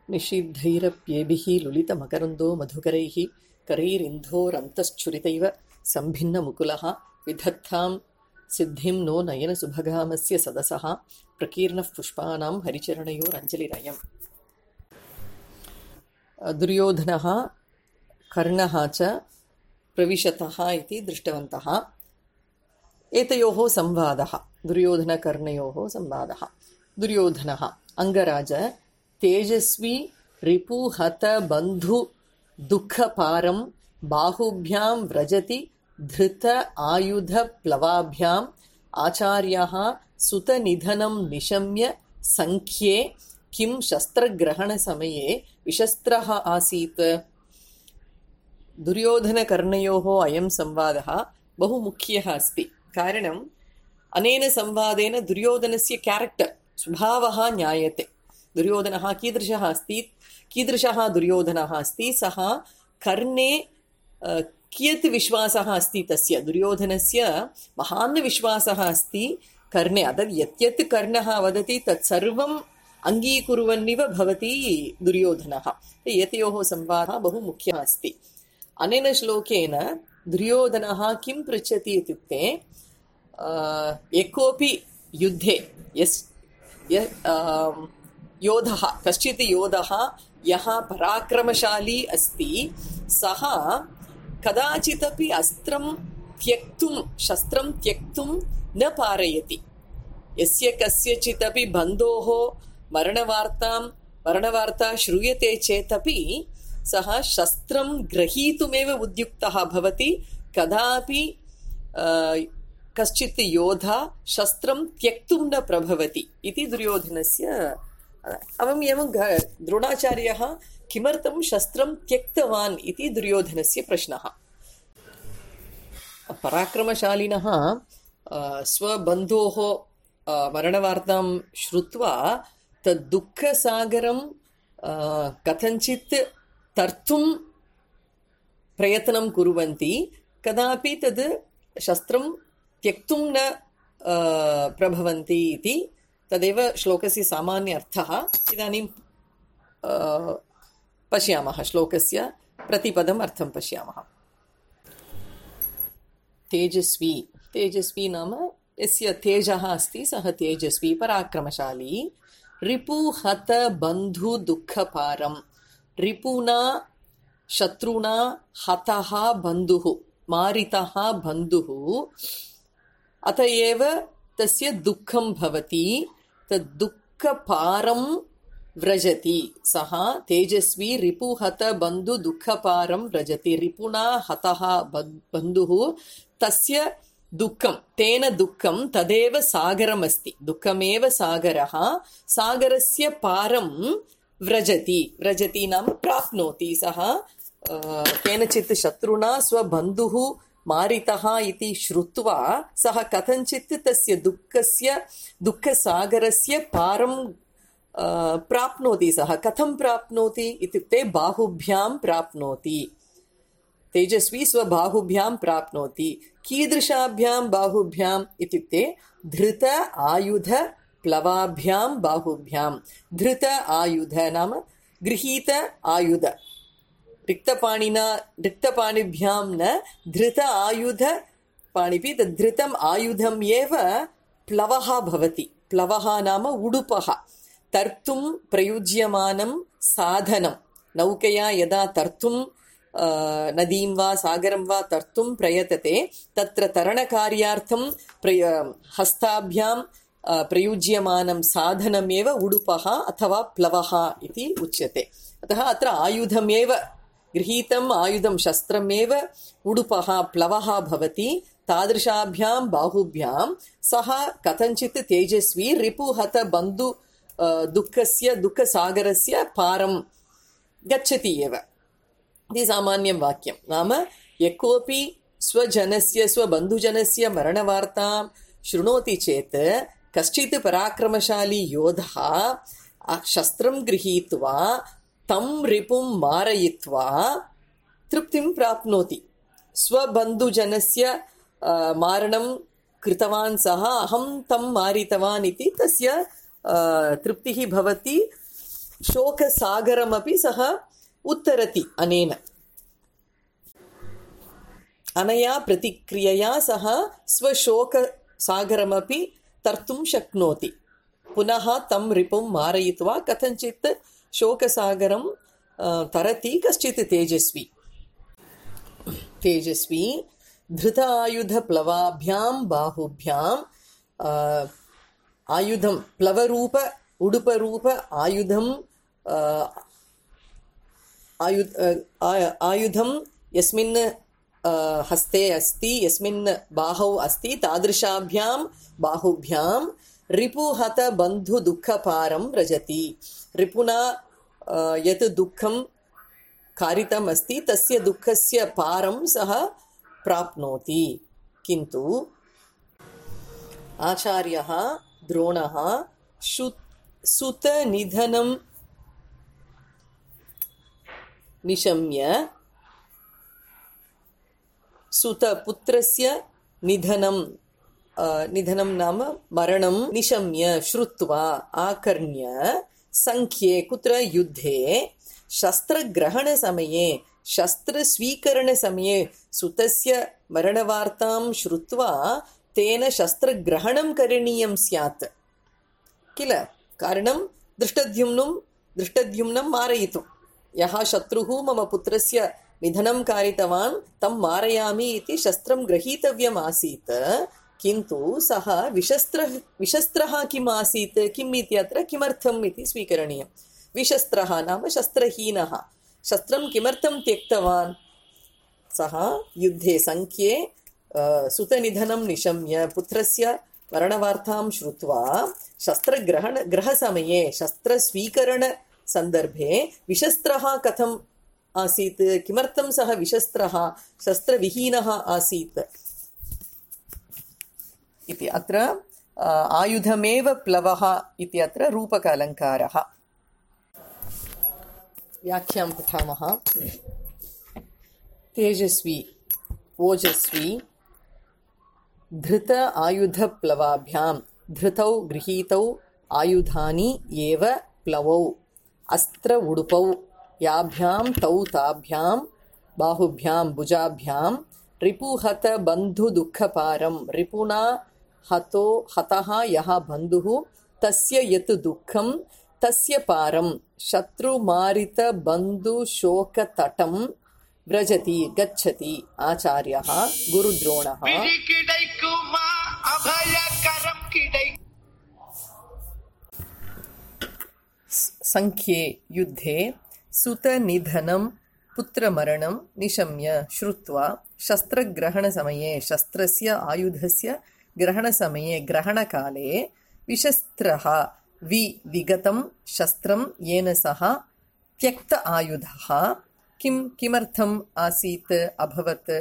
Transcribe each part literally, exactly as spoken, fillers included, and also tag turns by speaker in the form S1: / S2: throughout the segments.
S1: निषिद्धैरप्येभिः लुलितमकरन्दो मधुकरैः करैरिन्धोरन्तश्छुरितैव सम्भिन्नमुकुलः विधत्तां सिद्धिं नो नयनसुभगामस्य सदसः प्रकीर्णः पुष्पाणां हरिचरणयोरञ्जलिरयम्। दुर्योधनः कर्णः च प्रविशतः इति दृष्टवन्तः। एतयोः संवादः, दुर्योधनकर्णयोः संवादः। दुर्योधनः अंगराज तेजस्वी रिपुहत बन्धु दुःखपारं बाहुभ्यां व्रजति धृत आयुध प्लवाभ्याम् आचार्यः सुतनिधनं निशम्य संख्ये किं शस्त्रग्रहणसमये विशस्त्रः आसीत्। दुर्योधनकर्णयोः अयं संवादः बहु मुख्यः अस्ति। कारणम् अनेन संवादेन दुर्योधनस्य क्यारेक्टर् स्वभावः ज्ञायते। दुर्योधनः कीदृशः अस्ति, कीदृशः दुर्योधनः अस्ति, सः कर्णे कियत् विश्वासः अस्ति, तस्य दुर्योधनस्य महान् विश्वासः अस्ति कर्णे। अतः यत् यत् कर्णः वदति तत्सर्वम् अङ्गीकुर्वन्निव भवति दुर्योधनः। एतयोः संवादः बहु मुख्यः अस्ति। अनेन श्लोकेन दुर्योधनः किं पृच्छति इत्युक्ते, एकोऽपि युद्धे यस् योधः, कश्चित् योधः यः पराक्रमशाली अस्ति, सः कदाचिदपि अस्त्रं त्यक्तुं शस्त्रं त्यक्तुं न पारयति। यस्य कस्यचिदपि बन्धोः मरणवार्तां मरणवार्ता श्रूयते चेदपि सः शस्त्रं ग्रहीतुमेव उद्युक्तः भवति। कदापि कश्चित् योधा शस्त्रं त्यक्तुं न प्रभवति इति दुर्योधनस्य। अवम् एवं द्रोणाचार्यः किमर्थं शस्त्रं त्यक्तवान् इति दुर्योधनस्य प्रश्नः। पराक्रमशालिनः स्वबन्धोः मरणवार्तां श्रुत्वा तद्दुःखसागरं कथञ्चित् तर्तुं प्रयत्नं कुर्वन्ति, कदापि तद् शस्त्रं त्यक्तुं न प्रभवन्ति इति तदेव श्लोकस्य सामान्य अर्थः। इदानीं पश्यामः, श्लोकस्य प्रतिपदम् अर्थं पश्यामः। तेजस्वी, तेजस्वी नाम यस्य तेजः अस्ति सः तेजस्वी, पराक्रमशाली। रिपुहत बन्धु दुःखपारं, रिपुना शत्रुना हतः बन्धुः, मारितः बन्धुः, अत एव तस्य दुःखं भवति। तद्दुःखपारं व्रजति, सः तेजस्वी रिपुहत बन्धु दुःखपारं व्रजति। रिपुना हतः बन्धुः, तस्य दुःखं, तेन दुःखं तदेव सागरमस्ति, दुःखमेव सागरः, सागरस्य पारं व्रजति। व्रजति नाम प्राप्नोति। सः केनचित् शत्रुना स्वबन्धुः मारितः इति श्रुत्वा सः कथञ्चित् तस्य दुःखस्य दुःखसागरस्य पारं प्राप्नोति। सः कथं प्राप्नोति इत्युक्ते बाहुभ्यां प्राप्नोति। तेजस्वी स्वबाहुभ्यां प्राप्नोति। कीदृशाभ्यां बाहुभ्याम् इत्युक्ते धृत आयुध प्लवाभ्यां बाहुभ्यां। धृत आयुध नाम गृहीत आयुध, रिक्तपाणिना रिक्तपाणिभ्यां न, धृत आयुध पाणिभिः। तद्धृतम् आयुधम् एव प्लवः भवति। प्लवः नाम उडुपः, तर्तुं प्रयुज्यमानं साधनं। नौकया यदा तर्तुं नदीं वा सागरं वा तर्तुं प्रयतते, तत्र तरणकार्यार्थं प्रय हस्ताभ्यां प्रयुज्यमानं साधनमेव उडुपः अथवा प्लवः इति उच्यते। अतः अत्र आयुधमेव, गृहीतम् आयुधं शस्त्रमेव उडुपः प्लवः भवति। तादृशाभ्यां बाहुभ्यां सः कथञ्चित् तेजस्वी रिपुहत बन्धु दुःखस्य दुःखसागरस्य पारं गच्छति एव इति सामान्यं वाक्यं। नाम यः कोऽपि स्वजनस्य स्वबन्धुजनस्य मरणवार्तां शृणोति चेत् कश्चित् पराक्रमशाली योधः शस्त्रं गृहीत्वा तं रिपुं मारयित्वा तृप्तिं प्राप्नोति। स्वबन्धुजनस्य मारणं कृतवान् सः, अहं तं मारितवान् इति तस्य तृप्तिः भवति। शोकसागरमपि सः उत्तरति अनेन अनया प्रतिक्रियया सः स्वशोकसागरमपि तर्तुं शक्नोति पुनः तं रिपुं मारयित्वा कथञ्चित् शोकसागरं तरति कश्चित् तेजस्वी तेजस्वी धृत आयुधप्लवाभ्यां बाहुभ्यां आयुधं प्लवरूप उडुपरूप आयुधं आयुध आयुधं यस्मिन् हस्ते अस्ति यस्मिन् बाहौ अस्ति तादृशाभ्यां बाहुभ्यां रिपुहत बन्धु दुःखपारं व्रजति रिपुना यत् दुःखं कारितम् अस्ति तस्य दुःखस्य पारं सः प्राप्नोति किन्तु आचार्यः द्रोणः सुतनिधनं निशम्य सुतपुत्रस्य निधनं निधनं नाम मरणं निशम्य श्रुत्वा आकर्ण्य संख्ये कुत्र युद्धे शस्त्रग्रहणसमये शस्त्रस्वीकरणसमये सुतस्य मरणवार्तां श्रुत्वा तेन शस्त्रग्रहणं करणीयं स्यात् किल कारणं दृष्टद्युम्नं दृष्टद्युम्नं मारयितुं यः शत्रुः मम पुत्रस्य निधनं कारितवान् तं मारयामि इति शस्त्रं गृहीतव्यम् आसीत् किन्तु सः विशस्त्रः विशस्त्रः किम् आसीत् किम् इत्यत्र किमर्थम् इति स्वीकरणीयं विशस्त्रः नाम शस्त्रहीनः शस्त्रं किमर्थं त्यक्तवान् सः युद्धे संख्ये सुतनिधनं निशम्य पुत्रस्य मरणवार्तां श्रुत्वा शस्त्रग्रहण ग्रहसमये शस्त्रस्वीकरणसन्दर्भे विशस्त्रः कथम् आसीत् किमर्थं सः विशस्त्रः शस्त्रविहीनः आसीत् इति अत्र आयुधमेव प्लवः इति अत्र रूपक अलङ्कारः व्याख्यां पठामः तेजस्वी ओजस्वी धृत आयुधप्लवाभ्यां धृतौ गृहीतौ आयुधानि एव प्लवौ अस्त्र उडुपौ याभ्यां तौ ताभ्यां बाहुभ्यां भुजाभ्यां रिपुहत बन्धु दुःखपारं रिपुना हतो हतः यः बन्धुः तस्य यत् दुःखं तस्य पारं शत्रुमारित बन्धु शोकतटं व्रजति गच्छति आचार्यः गुरुद्रोणः संख्ये युद्धे सुतनिधनं पुत्रमरणं निशम्य श्रुत्वा शस्त्रग्रहणसमये शस्त्रस्य आयुधस्य ग्रहणसमये ग्रहणकाले विशस्त्रः वि विगतं शस्त्रं येन सह त्यक्त आयुधः किं किमर्थम् आसीत् अभवत्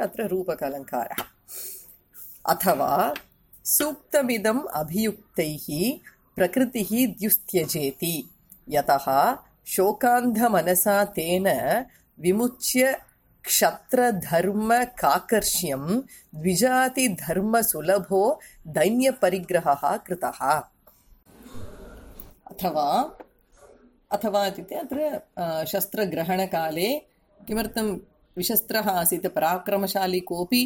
S1: अत्र रूपकलङ्कारः अथवा सूक्तमिदम् अभियुक्तैः प्रकृतिः द्युस्त्यजेति यतः शोकान्धमनसा तेन विमुच्य क्षत्रधर्मकाकर्ष्यं द्विजातिधर्मसुलभो दैन्यपरिग्रहः कृतः अथवा अथवा इत्युक्ते अत्र शस्त्रग्रहणकाले किमर्थं विशस्त्रः आसीत् पराक्रमशाली कोऽपि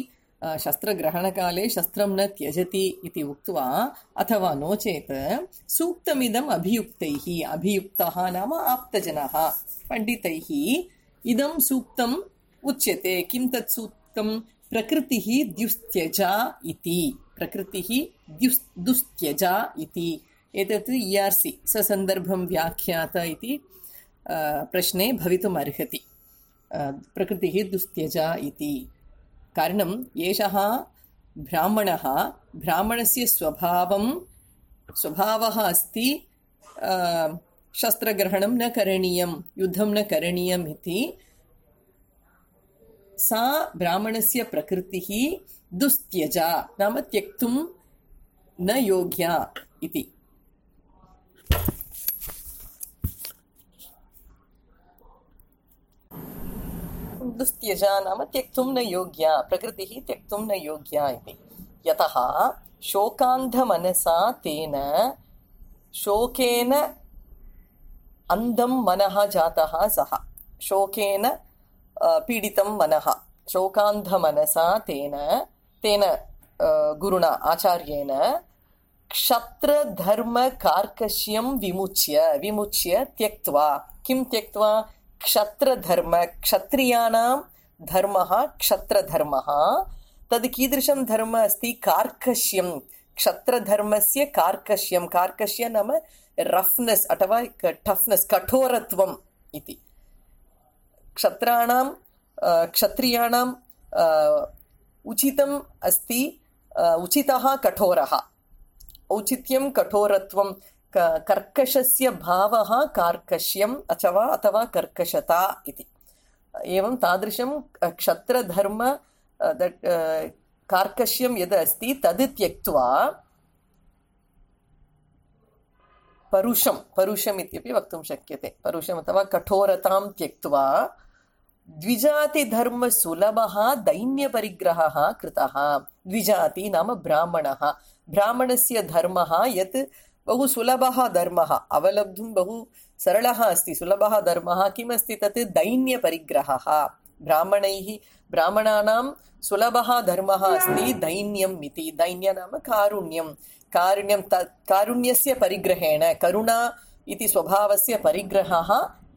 S1: शस्त्रग्रहणकाले शस्त्रं न त्यजति इति उक्त्वा अथवा नो चेत् सूक्तमिदम् अभियुक्तैः अभियुक्तः नाम आप्तजनः पण्डितैः इदं सूक्तम् उच्यते किं तत् सूक्तं प्रकृतिः द्युस्त्यजा इति प्रकृतिः द्युस् दुस्त्यजा इति एतत् इ आर् सि ससन्दर्भं व्याख्यात इति प्रश्ने भवितुम् अर्हति प्रकृतिः दुस्त्यजा इति कारणम् एषः ब्राह्मणः ब्राह्मणस्य स्वभावं स्वभावः अस्ति शस्त्रग्रहणं न करणीयं युद्धं न करणीयम् इति सा ब्राह्मणस्य प्रकृतिः दुस्त्यजा नाम त्यक्तुं न योग्या इति दुस्त्यजा नाम त्यक्तुं न योग्या प्रकृतिः त्यक्तुं न योग्या इति यतः शोकान्धमनसा तेन शोकेन अंधं मनः जातः सः शोकेन पीडितं मनः शोकान्धमनसा तेन तेन गुरुणा आचार्येण क्षत्रधर्मकार्कश्यं विमुच्य विमुच्य त्यक्त्वा किं त्यक्त्वा क्षत्रधर्म क्षत्रियाणां धर्मः क्षत्रधर्मः तद् कीदृशं धर्म अस्ति कार्कश्यं क्षत्रधर्मस्य कार्कश्यं कार्कश्य नाम रफ्नेस् अथवा टफ्नेस् कठोरत्वम् इति क्षत्राणां क्षत्रियाणाम् उचितम् अस्ति उचितः कठोरः औचित्यं कठोरत्वं कर्कशस्य भावः कार्कश्यम् अथवा अथवा कर्कशता इति एवं तादृशं क्षत्रधर्म कार्कश्यं यद् अस्ति तद् त्यक्त्वा परुषं परुषम् इत्यपि वक्तुं शक्यते परुषम् अथवा कठोरतां त्यक्त्वा द्विजातिधर्मसुलभः दैन्यपरिग्रहः कृतः द्विजाति नाम ब्राह्मणः ब्राह्मणस्य धर्मः यत् बहु सुलभः धर्मः अवलब्धुं बहु सरलः अस्ति सुलभः धर्मः किमस्ति तत् दैन्यपरिग्रहः ब्राह्मणैः ब्राह्मणानां सुलभः धर्मः अस्ति दैन्यम् इति दैन्य नाम कारुण्यं कारुण्यं कारुण्यस्य परिग्रहेण करुणा इति स्वभावस्य परिग्रहः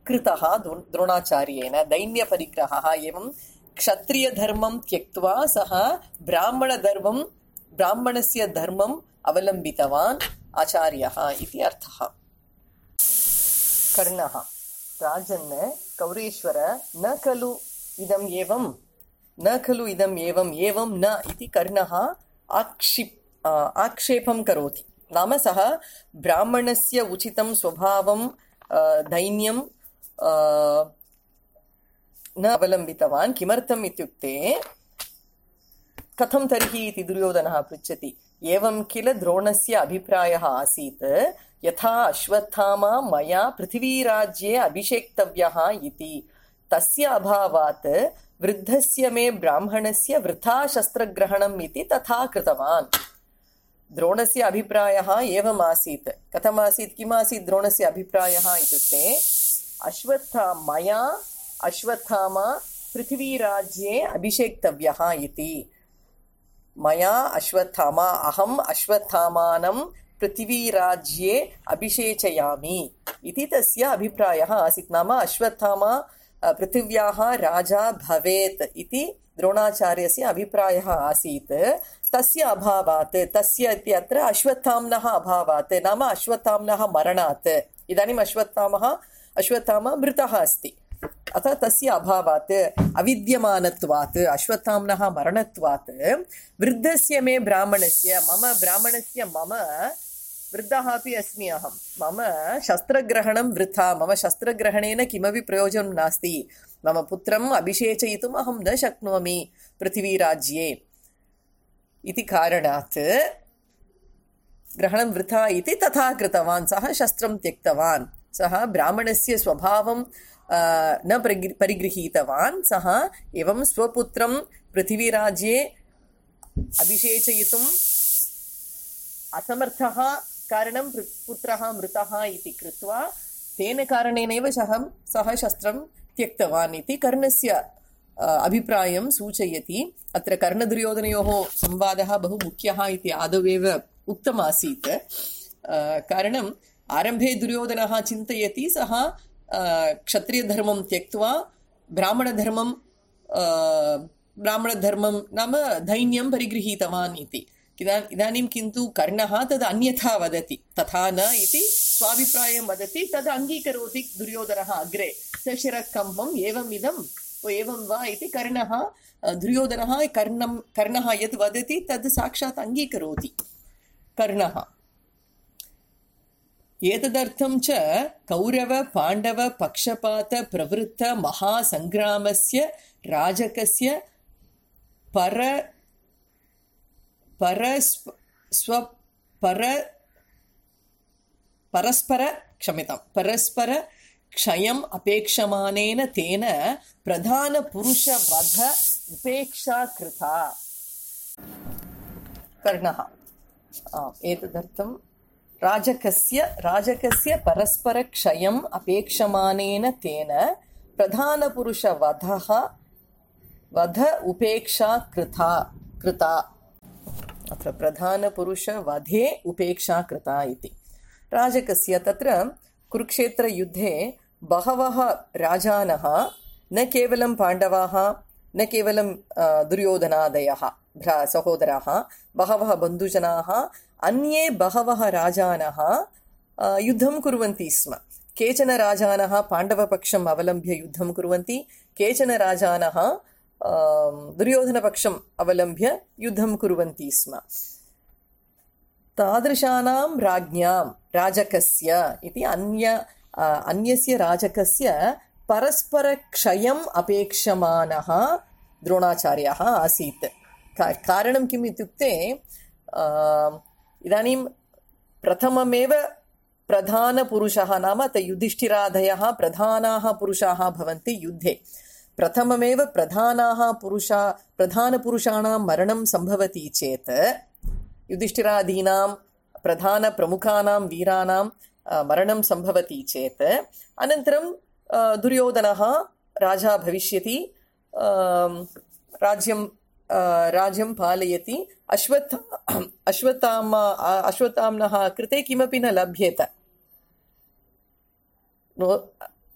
S1: कृतः द्रोणाचार्येण दैन्यपरिग्रहः एवं क्षत्रियधर्मं त्यक्त्वा सः ब्राह्मणधर्मं ब्राह्मणस्य धर्मम् अवलम्बितवान् आचार्यः इति अर्थः कर्णः राजन् कौरेश्वर न खलु इदम् एवं न खलु इदम् एवम् एवं न इति कर्णः आक्षिप् आक्षेपं करोति नाम सः ब्राह्मणस्य उचितं स्वभावं दैन्यं न अवलम्बितवान् किमर्थम् इत्युक्ते कथं तर्हि इति दुर्योधनः पृच्छति एवं किल द्रोणस्य अभिप्रायः आसीत् यथा अश्वत्थामा मया पृथिवीराज्ये अभिषेक्तव्यः इति तस्य अभावात् वृद्धस्य मे ब्राह्मणस्य वृथा शस्त्रग्रहणम् इति तथा कृतवान् द्रोणस्य अभिप्रायः एवम् आसीत् कथम् आसीत् किम् आसीत् द्रोणस्य अभिप्रायः इत्युक्ते अश्वत्था मया अश्वत्थामा पृथिवीराज्ये अभिषेक्तव्यः इति मया अश्वत्थामा अहम् अश्वत्थामानं पृथिवीराज्ये अभिषेचयामि इति तस्य अभिप्रायः आसीत् नाम अश्वत्थामा पृथिव्याः राजा भवेत् इति द्रोणाचार्यस्य अभिप्रायः आसीत् तस्य अभावात् तस्य इत्यत्र अश्वत्थाम्नः अभावात् नाम अश्वत्थाम्नः मरणात् इदानीम् अश्वत्थामः अश्वत्थामा मृतः अस्ति अतः तस्य अभावात् अविद्यमानत्वात् अश्वत्थाम्नः मरणत्वात् वृद्धस्य मे ब्राह्मणस्य मम ब्राह्मणस्य मम वृद्धः अपि अस्मि अहं मम शस्त्रग्रहणं वृथा मम शस्त्रग्रहणेन किमपि प्रयोजनं नास्ति मम पुत्रम् अभिषेचयितुम् अहं न शक्नोमि पृथिवीराज्ये इति कारणात् ग्रहणं वृथा इति तथा कृतवान् सः शस्त्रं त्यक्तवान् सः ब्राह्मणस्य स्वभावं न परिगृहीतवान् सः एवं स्वपुत्रं पृथिवीराज्ये अभिषेचयितुम् असमर्थः कारणं पुत्रः मृतः इति कृत्वा तेन कारणेनैव सः सः शस्त्रं त्यक्तवान् इति कर्णस्य अभिप्रायं सूचयति अत्र कर्णदुर्योधनयोः संवादः बहु मुख्यः इति आदौ एव उक्तमासीत् कारणम् आरम्भे दुर्योधनः चिन्तयति सः क्षत्रियधर्मं त्यक्त्वा ब्राह्मणधर्मं ब्राह्मणधर्मं नाम दैन्यं परिगृहीतवान् इति इदानीं किन्तु कर्णः तद् अन्यथा वदति तथा न इति स्वाभिप्रायं वदति तद् अङ्गीकरोति दुर्योधनः अग्रे सशिरकम्बम् एवमिदम् एवं वा इति कर्णः दुर्योधनः कर्णं कर्णः यत् वदति तद् साक्षात् अङ्गीकरोति कर्णः एतदर्थं च कौरव पाण्डव पक्षपात प्रवृत्त महासंग्रामस्य राजकस्य पर परस्व स्व पर परस्पर क्षम्यतां परस्पर क्षयम् अपेक्षमानेन तेन प्रधान पुरुष वध उपेक्षा कृता कर्णः एतदर्थं राजकस्य राजकस्य परस्परक्षयम् अपेक्षमानेन तेन प्रधानपुरुषवधः वध उपेक्षा कृता कृता अत्र प्रधानपुरुषवधे उपेक्षा कृता इति राजकस्य तत्र कुरुक्षेत्रयुद्धे बहवः राजानः न केवलं पाण्डवाः न केवलं दुर्योधनादयः भ्रा सहोदराः बहवः बन्धुजनाः अन्ये बहवः राजानः युद्धं कुर्वन्ति स्म केचन राजानः पाण्डवपक्षम् अवलम्ब्य युद्धं कुर्वन्ति केचन राजानः दुर्योधनपक्षम् अवलम्ब्य युद्धं कुर्वन्ति स्म तादृशानां राज्ञां राजकस्य इति अन्य अन्यस्य राजकस्य परस्परक्षयम् अपेक्षमानः द्रोणाचार्यः आसीत् कारणं किम् इत्युक्ते इदानीं प्रथममेव प्रधानपुरुषः नाम युधिष्ठिरादयः प्रधानाः पुरुषाः भवन्ति युद्धे प्रथममेव प्रधानाः पुरुषा प्रधानपुरुषाणां मरणं सम्भवति चेत् युधिष्ठिरादीनां प्रधानप्रमुखानां वीराणां मरणं सम्भवति चेत् अनन्तरं दुर्योधनः राजा भविष्यति राज्यं राज्यं पालयति अश्वत्थ अश्वत्थामा अश्वत्थाम्नः कृते किमपि न लभ्येत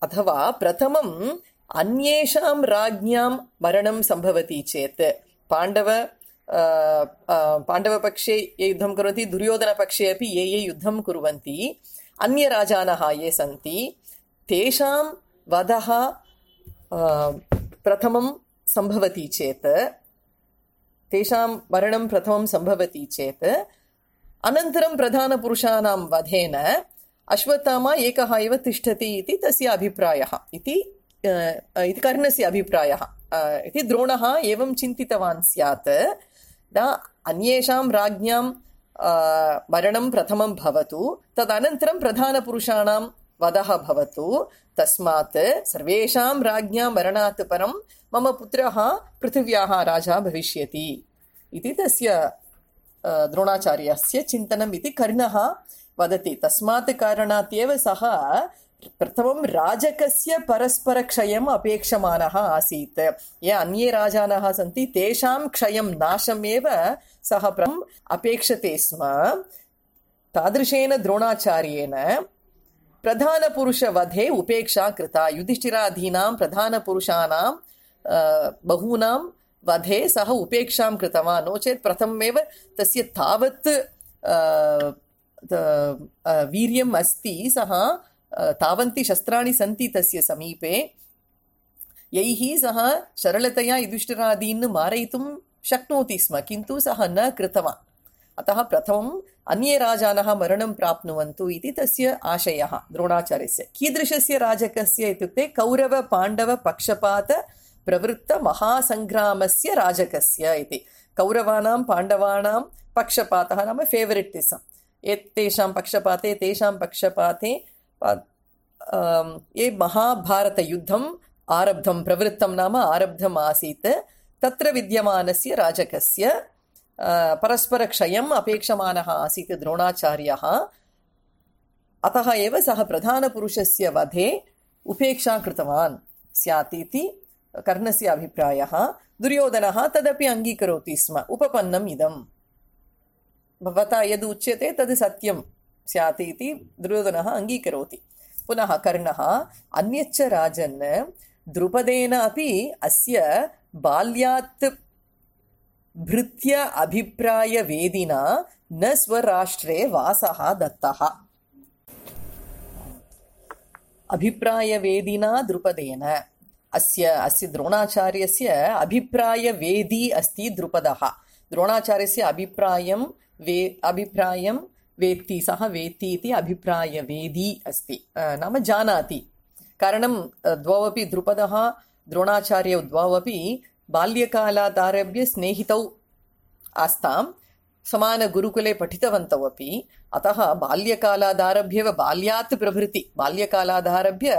S1: अथवा प्रथमम् अन्येषां राज्ञां मरणं सम्भवति चेत् पाण्डव पाण्डवपक्षे ये युद्धं कुर्वन्ति दुर्योधनपक्षे अपि ये ये युद्धं कुर्वन्ति अन्यराजानः ये सन्ति तेषां वधः प्रथमं सम्भवति चेत् तेषां मरणं प्रथमं सम्भवति चेत् अनन्तरं प्रधानपुरुषाणां वधेन अश्वत्थामा एकः एव तिष्ठति इति तस्य अभिप्रायः इति इति कर्णस्य अभिप्रायः इति द्रोणः एवं चिन्तितवान् स्यात् न अन्येषां राज्ञां मरणं प्रथमं भवतु तदनन्तरं प्रधानपुरुषाणां वधः भवतु तस्मात् सर्वेषां राज्ञां मरणात् परं मम पुत्रः पृथिव्याः राजा भविष्यति इति तस्य द्रोणाचार्यस्य चिन्तनम् इति कर्णः वदति तस्मात् कारणात् एव सः प्रथमं राजकस्य परस्परक्षयम् अपेक्षमानः आसीत् ये अन्ये राजानः सन्ति तेषां क्षयं नाशमेव सः प्रथमम् अपेक्षते स्म तादृशेन द्रोणाचार्येण प्रधानपुरुषवधे उपेक्षा कृता युधिष्ठिरादीनां प्रधानपुरुषाणां बहूनां वधे सः उपेक्षां कृतवान् नो चेत् प्रथममेव तस्य तावत् वीर्यम् अस्ति सः तावन्ति शस्त्राणि सन्ति तस्य समीपे यैः सः सरलतया युधिष्ठिरादीन् मारयितुं शक्नोति स्म किन्तु सः न कृतवान् अतः प्रथमम् अन्ये राजानः मरणं प्राप्नुवन्तु इति तस्य आशयः द्रोणाचार्यस्य कीदृशस्य राजकस्य इत्युक्ते कौरवपाण्डवपक्षपात प्रवृत्तमहासङ्ग्रामस्य राजकस्य इति कौरवानां पाण्डवानां पक्षपातः नाम फेवरेटिसम् एतेषां पक्षपाते तेषां पक्षपाते ये महाभारतयुद्धम् आरब्धं प्रवृत्तं नाम आरब्धम् आसीत् तत्र विद्यमानस्य राजकस्य परस्परक्षयम् अपेक्षमानः आसीत् द्रोणाचार्यः अतः एव सः प्रधानपुरुषस्य वधे उपेक्षा कृतवान् स्यात् इति कर्णस्य अभिप्रायः दुर्योधनः तदपि अङ्गीकरोति स्म उपपन्नम् इदं भवता यद् उच्यते तद् सत्यं स्यात् इति दुर्योधनः अङ्गीकरोति पुनः कर्णः अन्यच्च राजन् द्रुपदेन अपि अस्य बाल्यात् भृत्य अभिप्रायवेदिना न स्वराष्ट्रे वासः दत्तः अभिप्रायवेदिना द्रुपदेन अस्य अस्य द्रोणाचार्यस्य अभिप्रायवेदी अस्ति द्रुपदः द्रोणाचार्यस्य अभिप्रायं वे अभिप्रायं वेत्ति सः वेत्ति इति अभिप्रायवेदी अस्ति नाम जानाति कारणं द्वौ अपि द्रुपदः द्रोणाचार्यौ द्वौ अपि बाल्यकालात् आरभ्य स्नेहितौ आस्तां समानगुरुकुले पठितवन्तौ अपि अतः बाल्यकालादारभ्य बाल्यात् प्रभृति बाल्यकालादारभ्य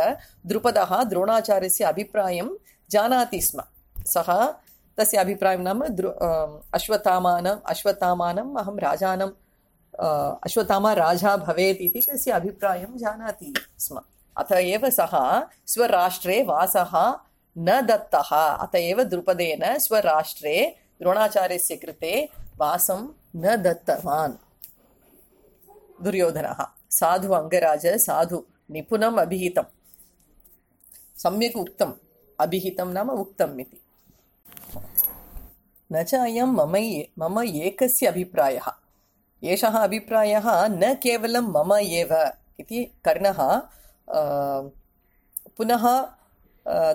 S1: द्रुपदः द्रोणाचार्यस्य अभिप्रायं जानाति स्म सः तस्य अभिप्रायं नाम अश्वत्थामानम् अश्वत्थामानम् अहं राजानं अश्वत्थामा राजा भवेत् इति तस्य अभिप्रायं जानाति स्म। अत एव सः स्वराष्ट्रे वासः न दत्तः। अत एव द्रुपदेन स्वराष्ट्रे द्रोणाचार्यस्य कृते वासं न दत्तवान्। दुर्योधनः साधु अङ्गराज साधु निपुणम् अभिहितं, सम्यक् उक्तम्, अभिहितं नाम उक्तम् इति। न च अयं मम मम एकस्य अभिप्रायः, एषः अभिप्रायः न केवलं मम एव इति कर्णः पुनः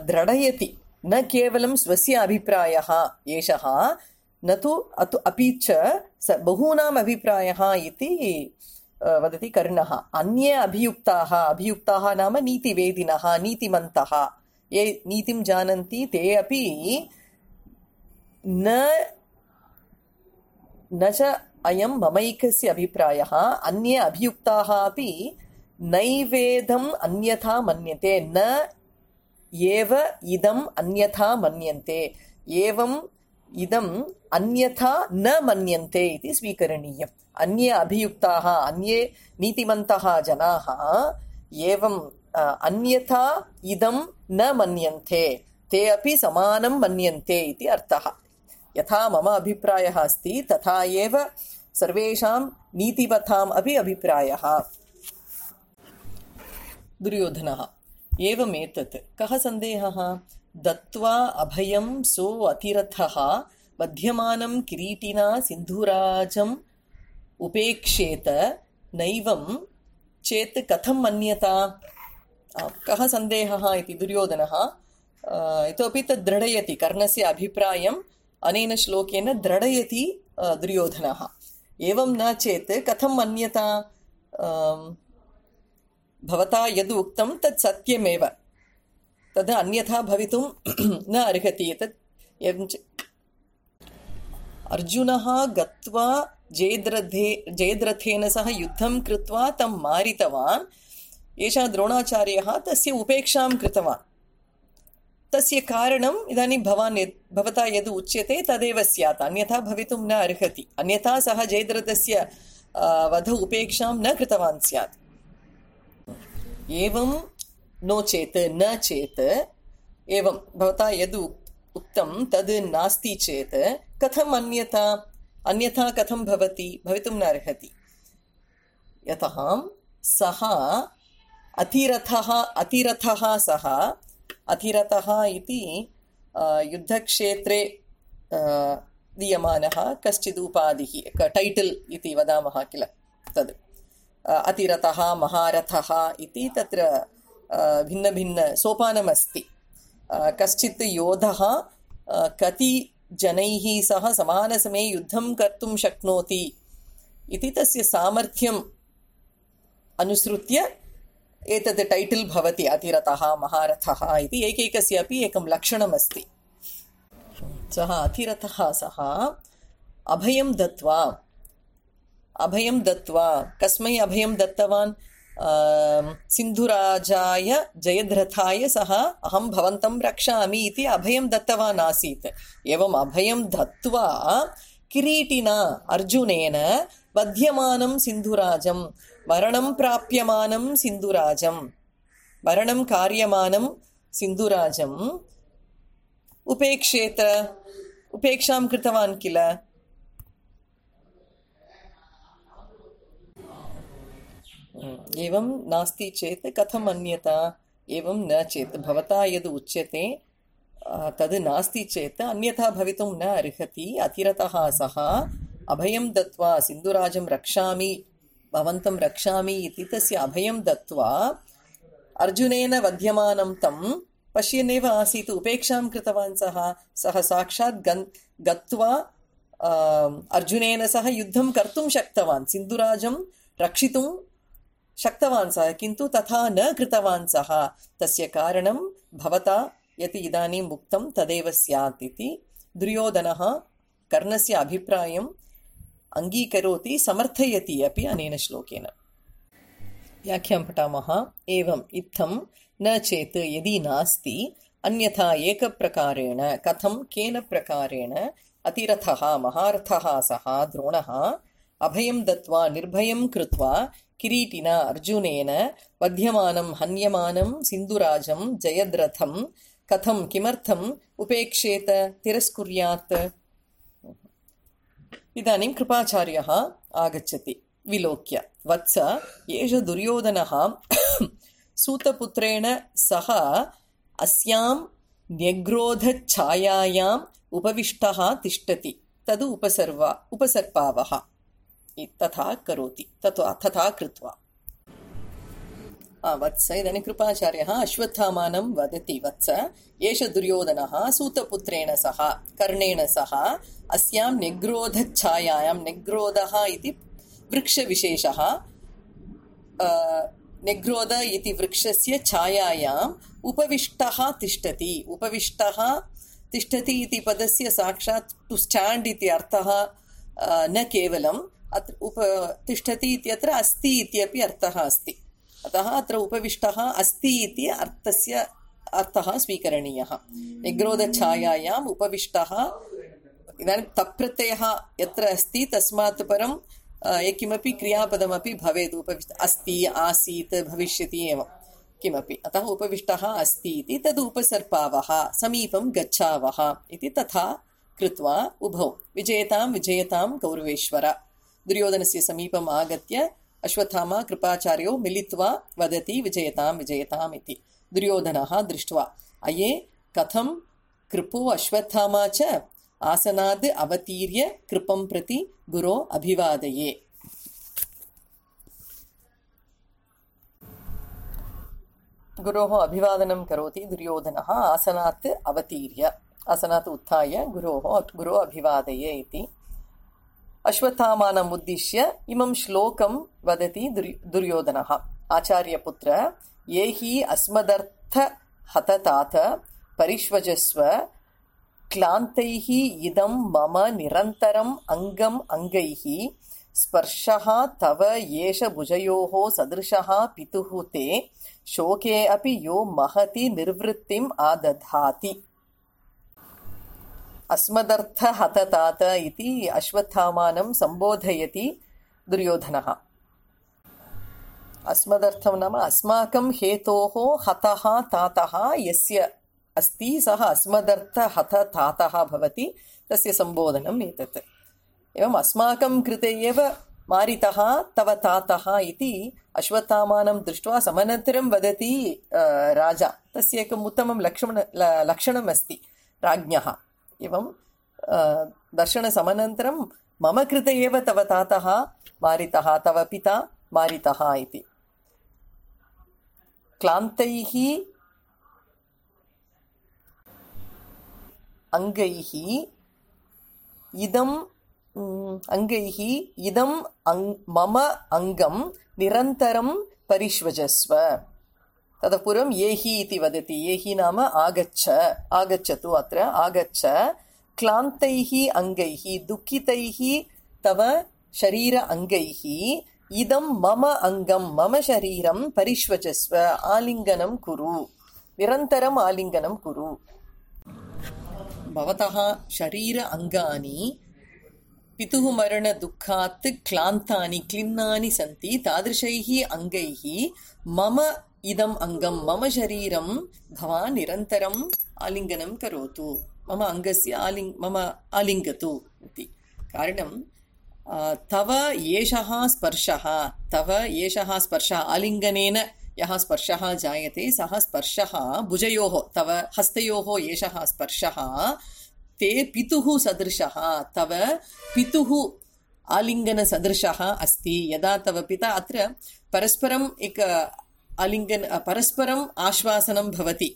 S1: दृढयति। न केवलं स्वस्य अभिप्रायः एषः, न तु अतु अपि च बहूनाम् अभिप्रायः इति वदति कर्णः। अन्ये अभियुक्ताः, अभियुक्ताः नाम नीतिवेदिनः, नीतिमन्तः, ये नीतिं जानन्ति ते अपि न न च अयं ममैकस्य अभिप्रायः, अन्ये अभियुक्ताः अपि नैवेदम् अन्यथा मन्यते, न एव इदम् अन्यथा मन्यन्ते, एवम् इदम् अन्यथा न मन्यन्ते इति स्वीकरणीयम्। अन्ये अभियुक्ताः, अन्ये नीतिमन्तः जनाः एवम् अन्यथा इदं न मन्यन्ते, ते अपि समानं मन्यन्ते इति अर्थः। यथा मम अभिप्रायः अस्ति तथा एव सर्वेषां नीतिवताम् अपि अभिप्रायः। दुर्योधनः एवमेतत् कः सन्देहः? दत्त्वा अभयं सो अतिरथः बध्यमानं किरीटिना सिन्धुराजम् उपेक्षेत नैवं चेत् कथं मन्यता? कः सन्देहः इति दुर्योधनः इतोपि तद् दृढयति। कर्णस्य अभिप्रायम् अनेन श्लोकेन दृढयति दुर्योधनः। एवं न चेत् कथं मन्यता? भवता यद् उक्तं तत् सत्यमेव, तद् अन्यथा भवितुं न अर्हति। एतत् एवं च अर्जुनः गत्वा जयद्रथे जयद्रथेन सह युद्धं कृत्वा तं मारितवान्। एषः द्रोणाचार्यः तस्य उपेक्षां कृतवान्। तस्य कारणम् इदानीं भवान् भवता यद् उच्यते तदेव स्यात्, अन्यथा भवितुं न अर्हति। अन्यथा सः जयद्रथस्य वध उपेक्षां न कृतवान् स्यात्। एवं नो चेत्, न चेत्, एवं भवता यद् उक्तं तद् नास्ति चेत् कथम् अन्यथा? अन्यथा कथं भवति? भवितुं न अर्हति। यतः सः अतिरथः अतिरथः सः अतिरथः इति युद्धक्षेत्रे दीयमानः कश्चित् उपाधिः, टैटल् इति वदामः किल, तद् अतिरथः महारथः इति तत्र भिन्नभिन्न सोपानमस्ति। कश्चित् योधः कति जनैः सह समानसमये युद्धं कर्तुं शक्नोति इति तस्य सामर्थ्यम् अनुसृत्य एतत् टैटल् भवति, अतिरथः महारथः इति। एकैकस्य अपि एकं लक्षणमस्ति। सः अतिरथः सः अभयं दत्त्वा अभयं दत्त्वा कस्मै अभयं दत्तवान्? सिन्धुराजाय जयद्रथाय सः अहं भवन्तं रक्षामि इति अभयं दत्तवान् आसीत्। एवम् अभयं दत्त्वा किरीटिना अर्जुनेन बध्यमानं सिन्धुराजं, मरणं प्राप्यमानं सिन्धुराजं, मरणं कार्यमानं सिन्धुराजम् उपेक्षेत, उपेक्षां कृतवान् किल। एवं नास्ति चेत् कथम् अन्यथा? एवं न चेत् भवता यद् उच्यते तद् नास्ति चेत् अन्यथा भवितुं न अर्हति। अतिरथः सः अभयं दत्त्वा सिन्धुराजं रक्षामि, भवन्तं रक्षामि इति तस्य अभयं दत्त्वा अर्जुनेन वध्यमानं तं पश्यन्नेव आसीत्, उपेक्षां कृतवान् सः। सः साक्षात् गन् गत्वा अर्जुनेन सह युद्धं कर्तुं शक्तवान्, सिन्धुराजं रक्षितुं शक्तवान् सः, किन्तु तथा न कृतवान् सः। तस्य कारणं भवता यत् इदानीम् उक्तं तदेव स्यात् इति दुर्योधनः कर्णस्य अभिप्रायम् अङ्गीकरोति, समर्थयति अपि अनेन श्लोकेन। व्याख्यां पठामः। एवम् इत्थं न चेत् यदि नास्ति, अन्यथा एकप्रकारेण, कथं केन प्रकारेण अतिरथः महारथः सः द्रोणः अभयं दत्त्वा निर्भयं कृत्वा किरीटिना अर्जुनेन वध्यमानं हन्यमानं सिन्धुराजं जयद्रथं कथं किमर्थम् उपेक्षेत तिरस्कुर्यात्। इदानीं कृपाचार्यः आगच्छति विलोक्य, वत्स एष दुर्योधनः सूतपुत्रेण सह अस्यां न्यग्रोधच्छायायाम् उपविष्टः तिष्ठति, तद् उपसर्वा उपसर्पावः तथा करोति, तथा तथा कृत्वा। वत्स इदानीं कृपाचार्यः अश्वत्थामानं वदति, वत्स एष दुर्योधनः सूतपुत्रेण सह कर्णेन सह अस्यां न्यग्रोधच्छायायां, न्यग्रोधः इति वृक्षविशेषः, न्यग्रोध इति वृक्षस्य छायायाम् उपविष्टः तिष्ठति। उपविष्टः तिष्ठति इति पदस्य साक्षात् टु स्टाण्ड् इति अर्थः न केवलम् अत्र उप तिष्ठति इत्यत्र अस्ति इत्यपि अर्थः अस्ति, अतः अत्र उपविष्टः अस्ति इति अर्थस्य अर्थः स्वीकरणीयः। निग्रोधच्छायायाम् उपविष्टः, इदानीं तप्रत्ययः यत्र अस्ति तस्मात् परं किमपि क्रियापदमपि भवेत्, उपविष्ट अस्ति आसीत् भविष्यति एवं किमपि, अतः उपविष्टः अस्ति इति तद् उपसर्पावः, समीपं गच्छावः इति तथा कृत्वा उभौ विजयतां विजयतां कौरवेश्वर। दुर्योधनस्य समीपम् आगत्य अश्वत्थामा कृपाचार्यो मिलित्वा वदति विजयतां विजयताम् इति। दुर्योधनः दृष्ट्वा अये कथं कृपो अश्वत्थामा च आसनाद् अवतीर्य कृपं प्रति गुरो अभिवादये। गुरोः अभिवादनं करोति दुर्योधनः आसनात् अवतीर्य, आसनात् उत्थाय गुरोः गुरो अभिवादये इति। अश्वत्थामानम् उद्दिश्य इमं श्लोकं वदति दुर्योधनः, आचार्यपुत्र ये हि अस्मदर्थ हततात परिष्वजस्व क्लान्तैः इदं मम निरन्तरम् अङ्गम् अङ्गैः स्पर्शः तव येष भुजयोः सदृशः पितुः ते शोके अपि यो महति निर्वृत्तिम् आदधाति। अस्मदर्थ हततात इति अश्वत्थामानं सम्बोधयति दुर्योधनः। अस्मदर्थं नाम अस्माकं हेतोः हतः तातः यस्य अस्ति सः अस्मदर्थ हत तातः भवति, तस्य सम्बोधनम् एतत्। एवम् अस्माकं कृते एव मारितः तव तातः इति अश्वत्थामानं दृष्ट्वा समनन्तरं वदति राजा, तस्य एकम् उत्तमं लक्षण लक्षणम् अस्ति राज्ञः। एवं दर्शनसमनन्तरं मम कृते एव तव तातः मारितः, तव पिता मारितः इति। क्लान्तैः अङ्गैः इदम् अङ्गैः इदम् मम अङ्गं निरन्तरं परिष्वजस्व। ततः पूर्वं येहि इति वदति, येहि नाम आगच्छ, आगच्छतु, अत्र आगच्छ। क्लान्तैः अङ्गैः, दुःखितैः तव शरीर अङ्गैः इदं मम अङ्गं, मम शरीरं परिष्वजस्व, आलिङ्गनं कुरु, निरन्तरम् आलिङ्गनं कुरु। भवतः शरीर अङ्गानि पितुः मरण दुःखात् क्लान्तानि क्लिन्नानि सन्ति, तादृशैः अङ्गैः मम इदम् अङ्गं, मम शरीरं भवान् निरन्तरम् आलिङ्गनं करोतु, मम अङ्गस्य आलिङ् मम आलिङ्गतु इति। कारणं तव एषः स्पर्शः, तव एषः स्पर्शः, आलिङ्गनेन यः स्पर्शः जायते सः स्पर्शः भुजयोः, तव हस्तयोः एषः स्पर्शः ते पितुः सदृशः, तव पितुः आलिङ्गनसदृशः अस्ति। यदा तव पिता, अत्र परस्परम् एक आलिङ्गन परस्परम् आश्वासनं भवति,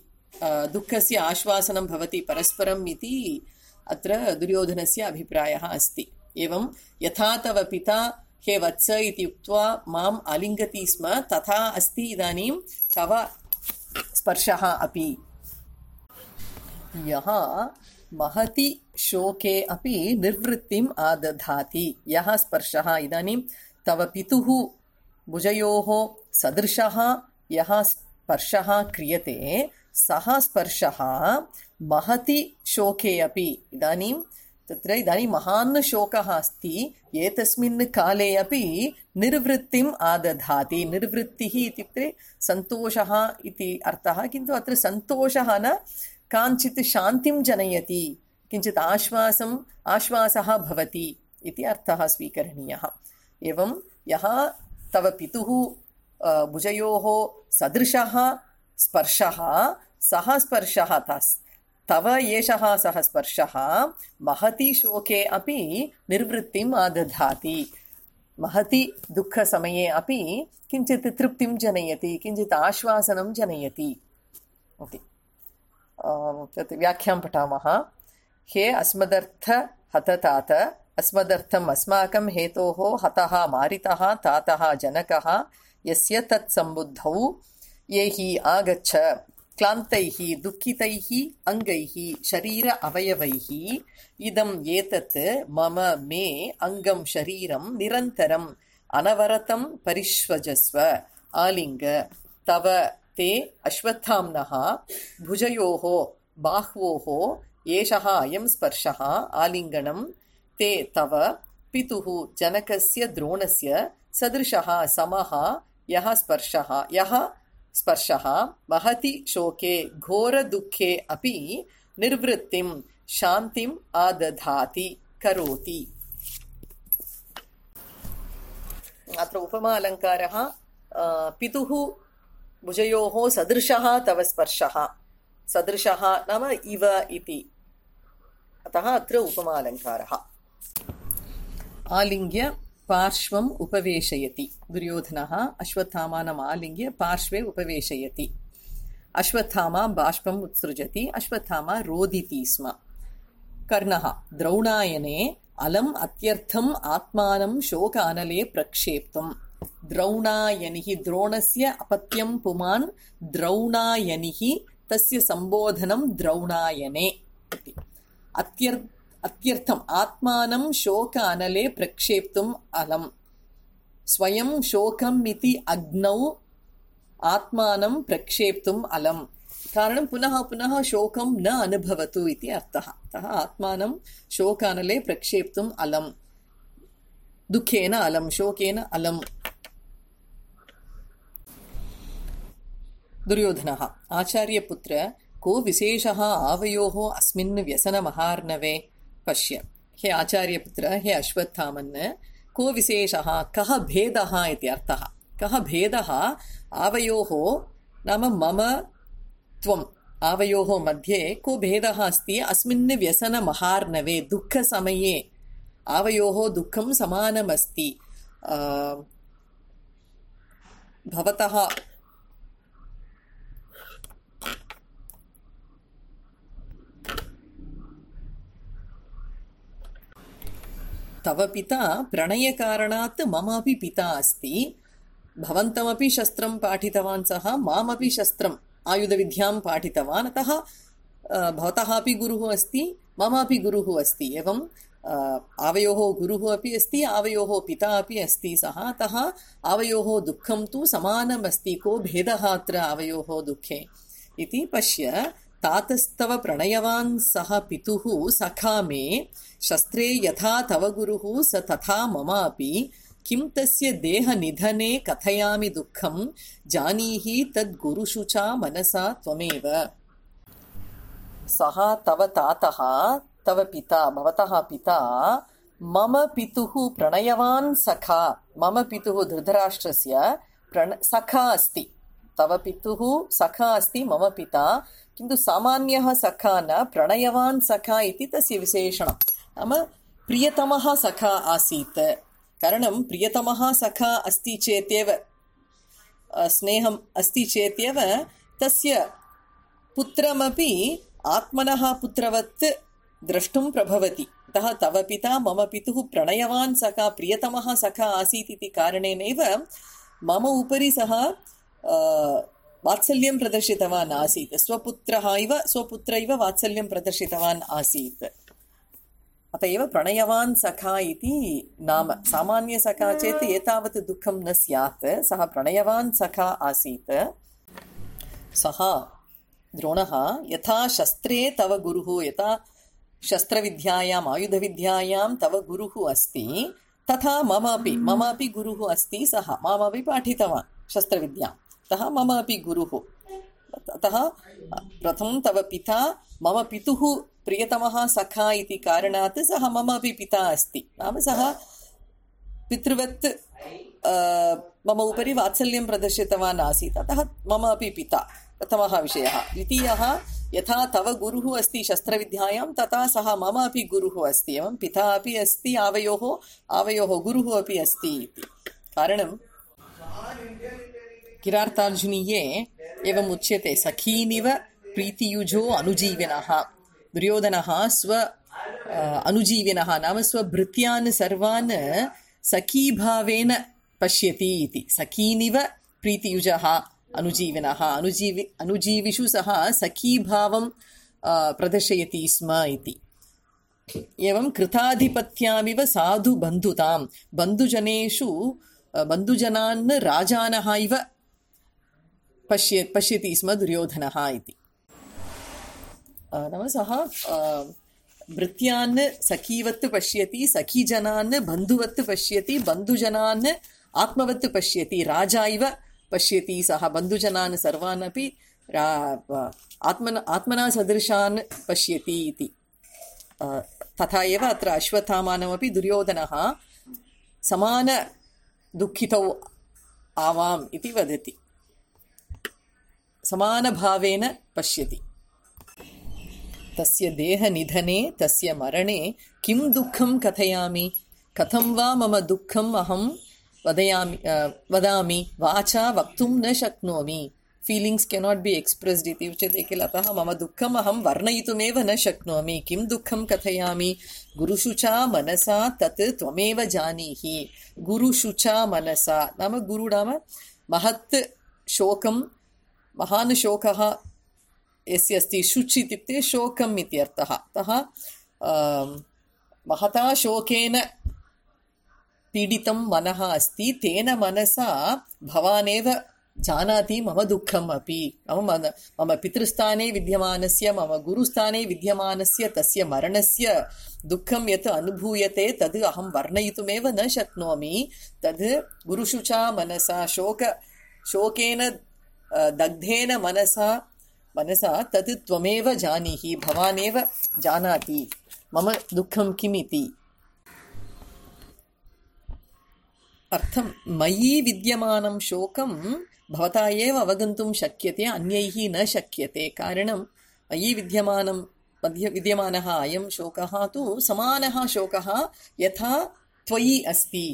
S1: दुःखस्य आश्वासनं भवति परस्परम् इति अत्र दुर्योधनस्य अभिप्रायः अस्ति। एवं यथा तव पिता हे वत्स इति उक्त्वा माम् आलिङ्गति स्म, तथा अस्ति इदानीं तव स्पर्शः अपि। यः महति शोके अपि निर्वृत्तिम् आदधाति, यः स्पर्शः इदानीं तव पितुः भुजयोः सदृशः यः स्पर्शः क्रियते, सः स्पर्शः महति शोके अपि, इदानीं तत्र इदानीं महान् शोकः अस्ति एतस्मिन् काले अपि निर्वृत्तिम् आदधाति निर्वृत्तिः इत्युक्ते सन्तोषः इति अर्थः किन्तु अत्र सन्तोषः न काञ्चित् शान्तिं जनयति किञ्चित् आश्वासम् आश्वासः भवति इति अर्थः स्वीकरणीयः एवं यः तव पितुः भुजयोः सदृशः स्पर्शः सः स्पर्शः तस् तव एषः सः स्पर्शः महति शोके अपि निर्वृत्तिम् आदधाति महति दुःखसमये अपि किञ्चित् तृप्तिं जनयति किञ्चित् आश्वासनं जनयति इति तत् व्याख्यां पठामः हे अस्मदर्थ हततात अस्मदर्थम् अस्माकं हेतोः हतः मारितः तातः जनकः यस्य तत् सम्बुद्धौ ये हि आगच्छ क्लान्तैः दुःखितैः अङ्गैः शरीर अवयवैः इदम् एतत् मम मे अङ्गं शरीरं निरन्तरम् अनवरतं परिष्वजस्व आलिङ्ग तव ते अश्वत्थाम्नः भुजयोः बाह्वोः एषः अयं स्पर्शः आलिङ्गनं ते तव पितुः जनकस्य द्रोणस्य सदृशः समः यः स्पर्शः यः स्पर्शः महति शोके घोरदुःखे अपि निर्वृत्तिं शान्तिम् आदधाति करोति। अत्र उपमा अलङ्कारः पितुः भुजयोः सदृशः तव स्पर्शः सदृशः नाम इव इति अतः अत्र उपमा अलङ्कारः। आलिङ्ग्य पार्श्वम् उपवेशयति दुर्योधनः अश्वत्थामानम् आलिङ्ग्य पार्श्वे उपवेशयति अश्वत्थामा बाष्पम् उत्सृजति अश्वत्थामा रोदिति स्म कर्णः द्रौणायने अलम् अत्यर्थम् आत्मानं शोकानले प्रक्षेप्तुम् द्रौणायनिः द्रोणस्य अपत्यं पुमान् द्रौणायनिः तस्य सम्बोधनं द्रौणायने अत्यर्थ अत्यर्थम् आत्मानं शोक अनले प्रक्षेप्तुम् अलम् स्वयं शोकम् इति अग्नौ आत्मानं प्रक्षेप्तुम् अलम् कारणं पुनः पुनः शोकं न अनुभवतु इति अर्थः अतः आत्मानं शोक अनले प्रक्षेप्तुम् अलम् दुःखेन अलम् शोकेन अलम्। दुर्योधनः आचार्यपुत्र को विशेषः आवयोः अस्मिन् व्यसनमहार्णवे पश्य हे आचार्यपुत्र हे अश्वत्थामन् को विशेषः कः भेदः इति अर्थः कः भेदः आवयोः नाम मम त्वम् आवयोः मध्ये को भेदः अस्ति अस्मिन् व्यसनमहार्णवे दुःखसमये आवयोः दुःखं समानमस्ति भवतः तव पिता प्रणयकारणात् मम अपि पिता अस्ति भवन्तमपि शस्त्रं पाठितवान् सः मामपि शस्त्रम् आयुधविद्यां पाठितवान् अतः भवतः अपि गुरुः अस्ति मम अपि गुरुः अस्ति एवं आवयोः गुरुः अपि अस्ति आवयोः पिता अपि अस्ति सः अतः आवयोः दुःखं तु समानमस्ति को भेदः अत्र आवयोः दुःखे इति पश्य तातस्तव प्रणयवान् सः पितुः सखा मे शस्त्रे यथा तव गुरुः स तथा मम अपि किं तस्य देहनिधने कथयामि दुःखं जानीहि तद्गुरुषु च मनसा त्वमेव सः तव तातः तव पिता भवतः पिता मम पितुः प्रणयवान् सखा मम पितुः धृतराष्ट्रस्य प्रण सखा अस्ति तव पितुः सखा अस्ति मम पिता किन्तु सामान्यः सखा न प्रणयवान् सखा इति तस्य विशेषणं नाम प्रियतमः सखा आसीत् कारणं प्रियतमः सखा अस्ति चेत्येव स्नेहम् अस्ति चेत्येव तस्य पुत्रमपि आत्मनः पुत्रवत् द्रष्टुं प्रभवति अतः तव पिता मम पितुः प्रणयवान् सखा प्रियतमः सखा आसीत् इति कारणेनैव मम उपरि सः वात्सल्यं प्रदर्शितवान् आसीत् स्वपुत्रः इव स्वपुत्र इव वात्सल्यं प्रदर्शितवान् आसीत् अत एव प्रणयवान् सखा इति नाम सामान्यसखा चेत् एतावत् दुःखं न स्यात् सः प्रणयवान् सखा आसीत् सः द्रोणः यथा शस्त्रे तव गुरुः यथा शस्त्रविद्यायाम् आयुधविद्यायां तव गुरुः अस्ति तथा मम अपि मम अपि गुरुः अस्ति सः मामपि पाठितवान् शस्त्रविद्यां अतः मम अपि गुरुः अतः प्रथमं तव पिता मम पितुः प्रियतमः सखा इति कारणात् सः मम अपि पिता अस्ति नाम सः पितृवत् मम उपरि वात्सल्यं प्रदर्शितवान् आसीत् अतः मम अपि पिता प्रथमः विषयः द्वितीयः यथा तव गुरुः अस्ति शस्त्रविद्यायां तथा सः मम अपि गुरुः अस्ति एवं पिता अपि अस्ति आवयोः आवयोः गुरुः अपि अस्ति इति कारणं किरातार्जुनीये एवम् उच्यते सखीनिव प्रीतियुजो अनुजीविनः दुर्योधनः स्व अनुजीविनः नाम स्वभृत्यान् सर्वान् सखीभावेन पश्यति इति सखीनिव प्रीतियुजः अनुजीविनः अनुजीवि अनुजीविषु सः सखीभावं प्रदर्शयति स्म इति एवं कृताधिपत्यामिव साधु बन्धुतां बन्धुजनेषु बन्धुजनान् राजानः इव पश्य पश्यति स्म दुर्योधनः इति नाम सः भृत्यान् सखीवत् पश्यति सखीजनान् बन्धुवत् पश्यति बन्धुजनान् आत्मवत् पश्यति राजा इव पश्यति सः बन्धुजनान् सर्वान् अपि आत्मना आत्मना सदृशान् पश्यति इति तथा एव अत्र अश्वत्थामानमपि दुर्योधनः समान दुःखितौ आवाम् इति वदति समानभावेन पश्यति तस्य देहनिधने तस्य मरणे किं दुःखं कथयामि कथं वा मम दुःखम् अहं वदयामि वदामि वाचा वक्तुं न शक्नोमि फीलिङ्ग्स् केनाट् बि एक्स्प्रेस्ड् इति उच्यते किल अतः मम दुःखम् अहं वर्णयितुमेव न शक्नोमि किं दुःखं कथयामि गुरुषु च मनसा तत् त्वमेव जानीहि गुरुषु च मनसा नाम गुरु नाम महत् शोकं महान् शोकः यस्य अस्ति शुच् इत्युक्ते शोकम् इत्यर्थः अतः महता शोकेन पीडितं मनः अस्ति तेन मनसा भवानेव जानाति मम दुःखम् अपि मम मम पितृस्थाने विद्यमानस्य मम गुरुस्थाने विद्यमानस्य तस्य मरणस्य दुःखं यत् अनुभूयते तद् अहं वर्णयितुमेव न शक्नोमि तद् गुरुषु च मनसा शोक शोकेन दग्धेन मनसा मनसा तद् त्वमेव जानीहि भवानेव जानाति मम दुःखं किम् इति अर्थं मयि विद्यमानं शोकं भवता एव अवगन्तुं शक्यते अन्यैः न शक्यते कारणं मयि विद्यमानं मध्य विद्यमानः अयं शोकः तु समानः शोकः यथा त्वयि अस्ति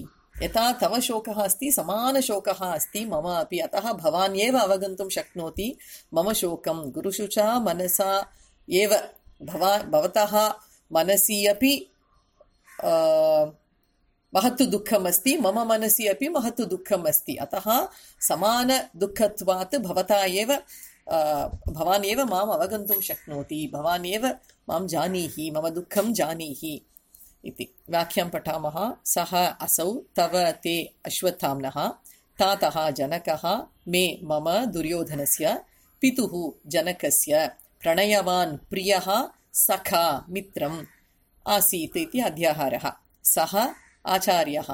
S1: यथा तव शोकः अस्ति समानशोकः अस्ति मम अपि अतः भवान् एव अवगन्तुं शक्नोति मम शोकं गुरुषु च मनसा एव भवा भवतः मनसि अपि महत् दुःखम् अस्ति मम मनसि अपि महत् दुःखम् अस्ति अतः समान दुःखत्वात् भवता एव भवान् एव माम् अवगन्तुं शक्नोति भवान् एव मां जानीहि मम दुःखं जानीहि इति वाक्यं पठामः सः असौ तव ते अश्वत्थाम्नः तातः जनकः मे मम दुर्योधनस्य पितुः जनकस्य प्रणयवान् प्रियः सखा मित्रम् आसीत् इति अध्याहारः सः आचार्यः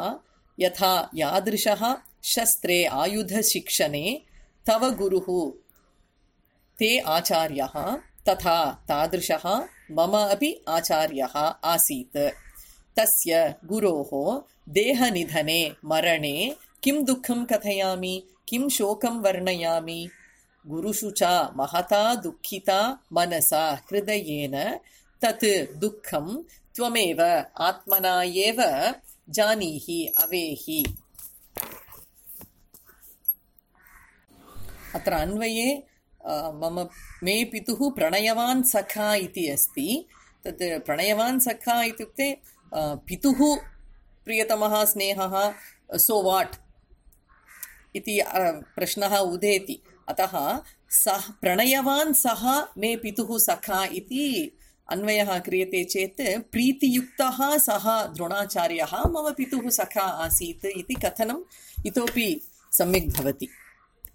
S1: यथा यादृशः शस्त्रे आयुधशिक्षणे तव गुरुः ते आचार्यः तथा तादृशः मम अपि आचार्यः आसीत् तस्य गुरोः देहनिधने मरणे किं दुःखं कथयामि किं शोकं वर्णयामि गुरुषु च महता दुःखिता मनसा हृदयेन तत् दुःखं त्वमेव आत्मना एव जानीहि अवेहि अत्र अन्वये मम मे पितुः प्रणयवान् सखा इति अस्ति तत् प्रणयवान् सखा इत्युक्ते पितुः प्रियतमः स्नेहः सो वाट् इति प्रश्नः उदेति अतः सः प्रणयवान् सः मे पितुः सखा इति अन्वयः क्रियते चेत् प्रीतियुक्तः सः द्रोणाचार्यः मम पितुः सखा आसीत् इति कथनम् इतोपि सम्यक् भवति